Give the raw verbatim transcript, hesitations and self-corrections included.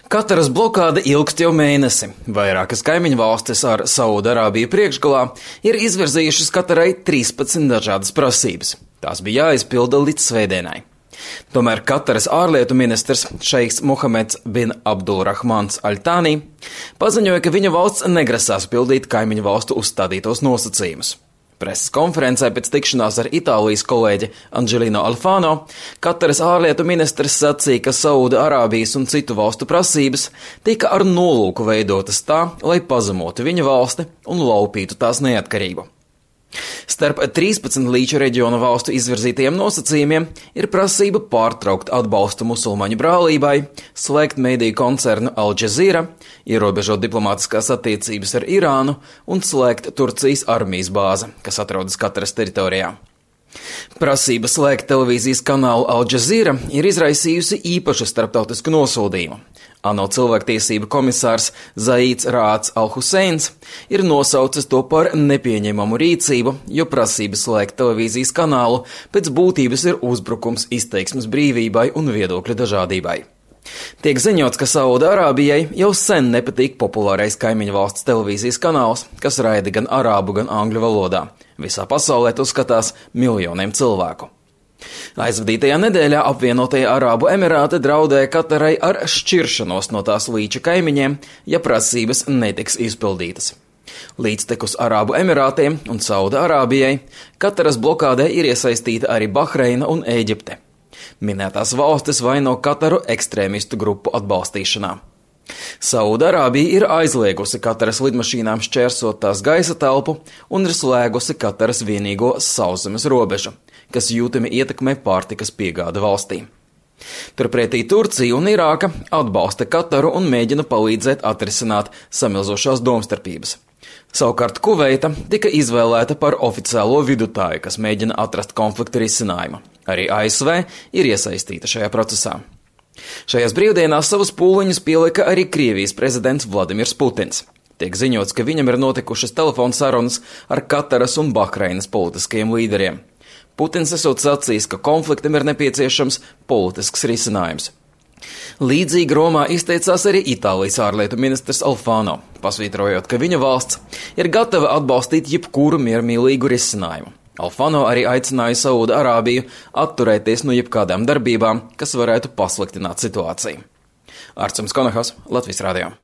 Kataras blokāde ilgst jau mēnesi. Vairākas kaimiņu valstis ar Saudarābiju priekšgalā ir izvirzījušas Katarai trīspadsmit dažādas prasības. Tās bija jāizpilda līdz svētdienai. Tomēr Kataras ārlietu ministrs šeiks Muhameds bin Abdulrahmans Al-Thani paziņoja, ka viņa valsts negrasās pildīt kaimiņu valstu uzstādītos nosacījumus. Preses konferencē pēc tikšanās ar Itālijas kolēģi Angelino Alfano Kataras ārlietu ministrs sacīja, ka Saudarābijas un citu valstu prasības tika ar nolūku veidotas tā, lai pazemotu viņa valsti un laupītu tās neatkarību. Starp trīspadsmit līča reģiona valstu izvirzītajiem nosacījumiem ir prasība pārtraukt atbalstu musulmaņu brālībai, slēgt mediju koncernu Al Jazeera, ierobežot diplomātiskās attiecības ar Irānu un slēgt Turcijas armijas bāzi, kas atrodas Kataras teritorijā. Prasība slēgt televīzijas kanālu Al Jazeera ir izraisījusi īpašu starptautisku nosodījumu. ANO cilvēktiesību komisārs Zaīds Rāds Al-Huseins ir nosaucis to par nepieņemamu rīcību, jo prasības slēgt televīzijas kanālu pēc būtības ir uzbrukums izteiksmes brīvībai un viedokļu dažādībai. Tiek ziņots, ka Saudarābijai jau sen nepatīk populārais kaimiņu valsts televīzijas kanāls, kas raida gan arābu, gan angļu valodā. Visā pasaulē to skatās miljoniem cilvēku. Aizvadītajā nedēļā apvienotie Arābu Emirāti draudēja Katarai ar šķiršanos no tās līča kaimiņiem, ja prasības netiks izpildītas. Līdztekus Arābu Emirātiem un Saudarābijai Kataras blokādē ir iesaistīta arī Bahreina un Ēģipte. Minētās valstis vaino Kataru ekstrēmistu grupu atbalstīšanā. Saudarābija ir aizliegusi Kataras lidmašīnām šķērsot tās gaisa telpu un ir slēgusi Kataras vienīgo sauszemes robežu, kas jūtami ietekmē pārtikas piegādi valstī. Turpretī Turcija un Irāka atbalsta Kataru un mēģina palīdzēt atrisināt samilzošās domstarpības. Savukārt Kuveita tika izvēlēta par oficiālo vidutāju, kas mēģina atrast konflikta risinājumu. Arī A S V ir iesaistīta šajā procesā. Šajās brīvdienās savus pūliņus pielika arī Krievijas prezidents Vladimirs Putins. Tiek ziņots, ka viņam ir notikušas telefona sarunas ar Kataras un Bahreinas politiskajiem līderiem. Putins esot sacījis, ka konfliktam ir nepieciešams politisks risinājums. Līdzīgi Romā izteicās arī Itālijas ārlietu ministrs Alfano, pasvītrojot, ka viņa valsts ir gatava atbalstīt jebkuru miermīlīgu risinājumu. Alfano arī aicināja Saudarābiju atturēties no jebkādām darbībām, kas varētu pasliktināt situāciju. Arcums Konahas, Latvijas radio.